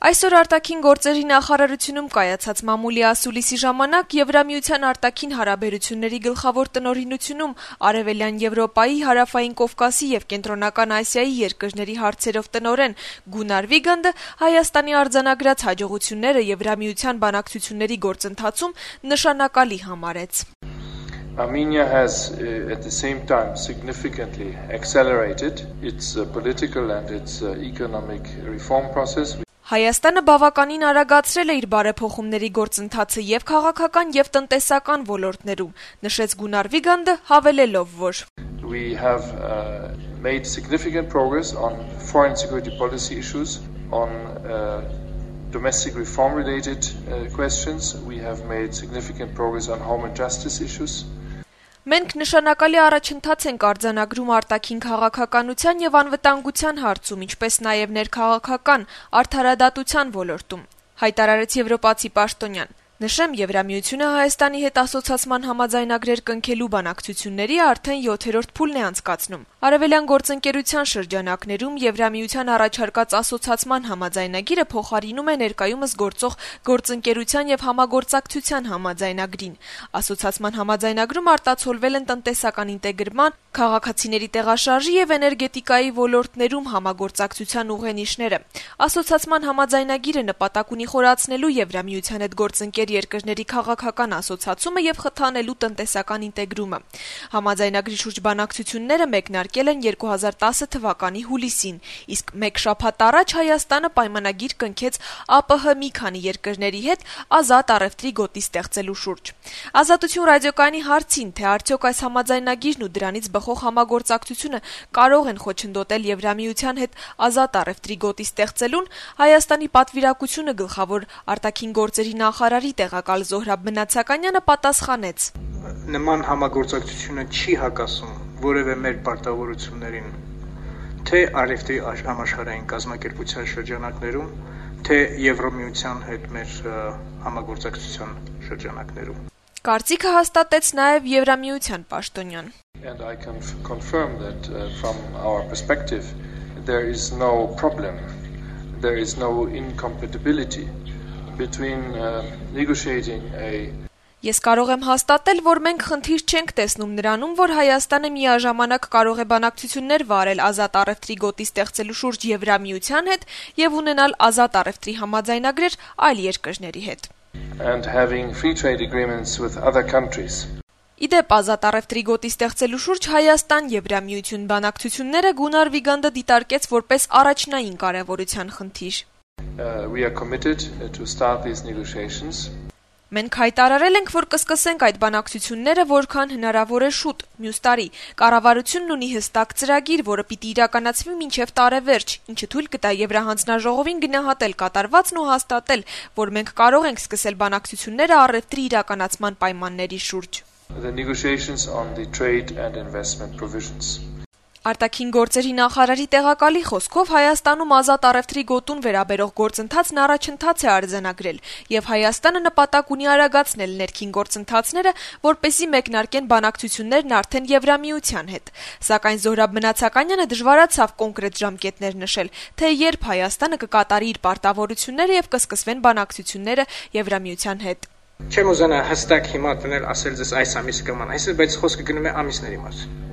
Այսօր արտաքին գործերի նախարարությունում կայացած մամուլի ասուլիսի ժամանակ Եվրամիության արտաքին հարաբերությունների գլխավոր տնօրինությունում Արևելյան Եվրոպայի, Հարավային Կովկասի եւ Կենտրոնական Ասիայի երկրների հարցերով տնօրեն Գունար Վիգանդը Հայաստանի արձանագրած հաջողությունները Եվրամիության բանակցությունների գործընթացում նշանակալի համարեց. Armenia has at the same time significantly accelerated its political and its economic reform process. Հայաստանը բավականին արագացրել է իր բարեփոխումների գործընթացը եւ քաղաքական եւ տնտեսական ոլորտներում, նշեց Գունար Վիգանդը, հավելելով, որ We have made significant progress on foreign security policy issues, on domestic reform related questions. We have made significant progress on home and justice issues. Մենք նշանակալի առաջընթաց ենք արձանագրում արտաքին քաղաքականության եւ անվտանգության հարցում, ինչպես նաեւ ներքաղաքական արդարադատության ոլորտում, հայտարարեց եվրոպացի պաշտոնյան. Նշեմ, Եվրամիությունը Հայաստանի հետ ասոցիացման համաձայնագրեր կնքելու բանակցությունների արդեն 7-րդ փուլն է անցկացնում։ Արևելյան գործընկերության շրջանակներում Եվրամիության առաջարկած ասոցիացման համաձայնագիրը փոխարինում է ներկայումս գործող գործընկերության եւ համագործակցության համաձայնագրին։ Ասոցիացման համաձայնագրում արտացոլվել են տնտեսական ինտեգրման, քաղաքացիների տեղաշարժի եւ էներգետիկայի ոլորտներում համագործակցության ուղենիշները։ Ասոցիացման համաձայնագիրը նպատակ ունի խորացնելու Եվրամիության հետ գործընկեր երկրների քաղաքական ասոցիացումը եւ խթանելու տնտեսական ինտեգրումը։ Համաձայնագրի շուրջ բանակցությունները մեկնարկել են 2010 թվականի հուլիսին, իսկ մեկ շաբաթ առաջ Հայաստանը պայմանագիր կնքեց ԱՊՀ մի քանի երկրների հետ ազատ առևտրի գոտի ստեղծելու շուրջ։ Ազատություն ռադիոկայանի հարցին, թե արդյոք այս համաձայնագիրն ու դրանից բխող համագործակցությունը կարող են խոչընդոտել Եվրամիության հետ ազատ առևտրի գոտի ստեղծելուն, Հայաստանի պատվիրակությունը գլխավոր արտաքին գործերի նախարարի տեղակալ Զոհրաբ Մնացականյանը պատասխանեց. Նման համագործակցությունը չի հակասում որևէ մեր պարտավորություններին, թե առևտրի համաշխարհային կազմակերպության շրջանակներում, թե Եվրամիության հետ մեր համագործակցության շրջանակներում։ Կարծիքը հաստատեց նաև Եվրամիության պաշտոնյան. And I can confirm that from our perspective there is no problem, there is no incompatibility between negotiating a Ես կարող եմ հաստատել, որ մենք խնդիր չենք տեսնում նրանում, որ Հայաստանը միաժամանակ կարող է բանակցություններ վարել ազատ առևտրի գոտի ստեղծելու շուրջ Եվրամիության հետ եւ ունենալ ազատ առևտրի համաձայնագրեր այլ երկրների հետ. And having free trade agreements with other countries. Իդեպ ազատ առևտրի գոտի ստեղծելու շուրջ Հայաստան-Եվրամիություն բանակցությունները Գունար Վիգանդը դիտարկեց որպես առաջնային կարևորության խնդիր. We are committed to start these negotiations. Մենք հայտարարել ենք, որ կսկսենք այդ բանակցությունները որքան հնարավոր է շուտ, մյուս տարի։ Կառավարությունն ունի հստակ ծրագիր, որը պիտի իրականացվի մինչև տարեվերջ, ինչը թույլ կտա Եվրահանձնաժողովին գնահատել կատարվածն ու հաստատել, որ մենք կարող ենք սկսել բանակցությունները առևտրի իրականացման պայմանների շուրջ։ The negotiations on the trade and investment provisions. Արտաքին գործերի նախարարի տեղակալի խոսքով Հայաստանում ազատ առևտրի գոտուն վերաբերող գործընթացն առաջընթաց է արձանագրել եւ Հայաստանը նպատակ ունի արագացնել ներքին գործընթացները, որպեսզի մեկնարկեն բանակցություններն արդեն Եվրամիության հետ։ Սակայն Զոհրաբ Մնացականյանը դժվարացավ կոնկրետ ժամկետներ նշել, թե երբ Հայաստանը կկատարի իր պարտավորությունները եւ կսկսվեն բանակցությունները Եվրամիության հետ։ Չեմ ուզենա հստակ հիմա տնել ասել ձեզ այս ամիսը կման, այսինքն բայց խոսքը գնում է ամիսների մասին։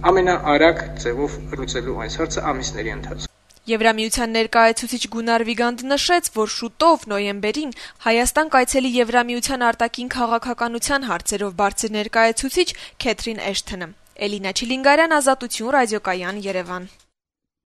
Ամենաարագ ձևով լուծելու այս հարցը ամիսների ընթացքում։ Եվրամիության ներկայացուցիչ Գունար Վիգանդը նշեց, որ շուտով նոյեմբերին Հայաստան կայցելի Եվրամիության արտաքին քաղաքականության հարցերով բարձր ներկայացուցիչ Քեթրին Էշթոնը։ Էլինա Չիլինգարյան, Ազատություն ռադիոկայան, Երևան։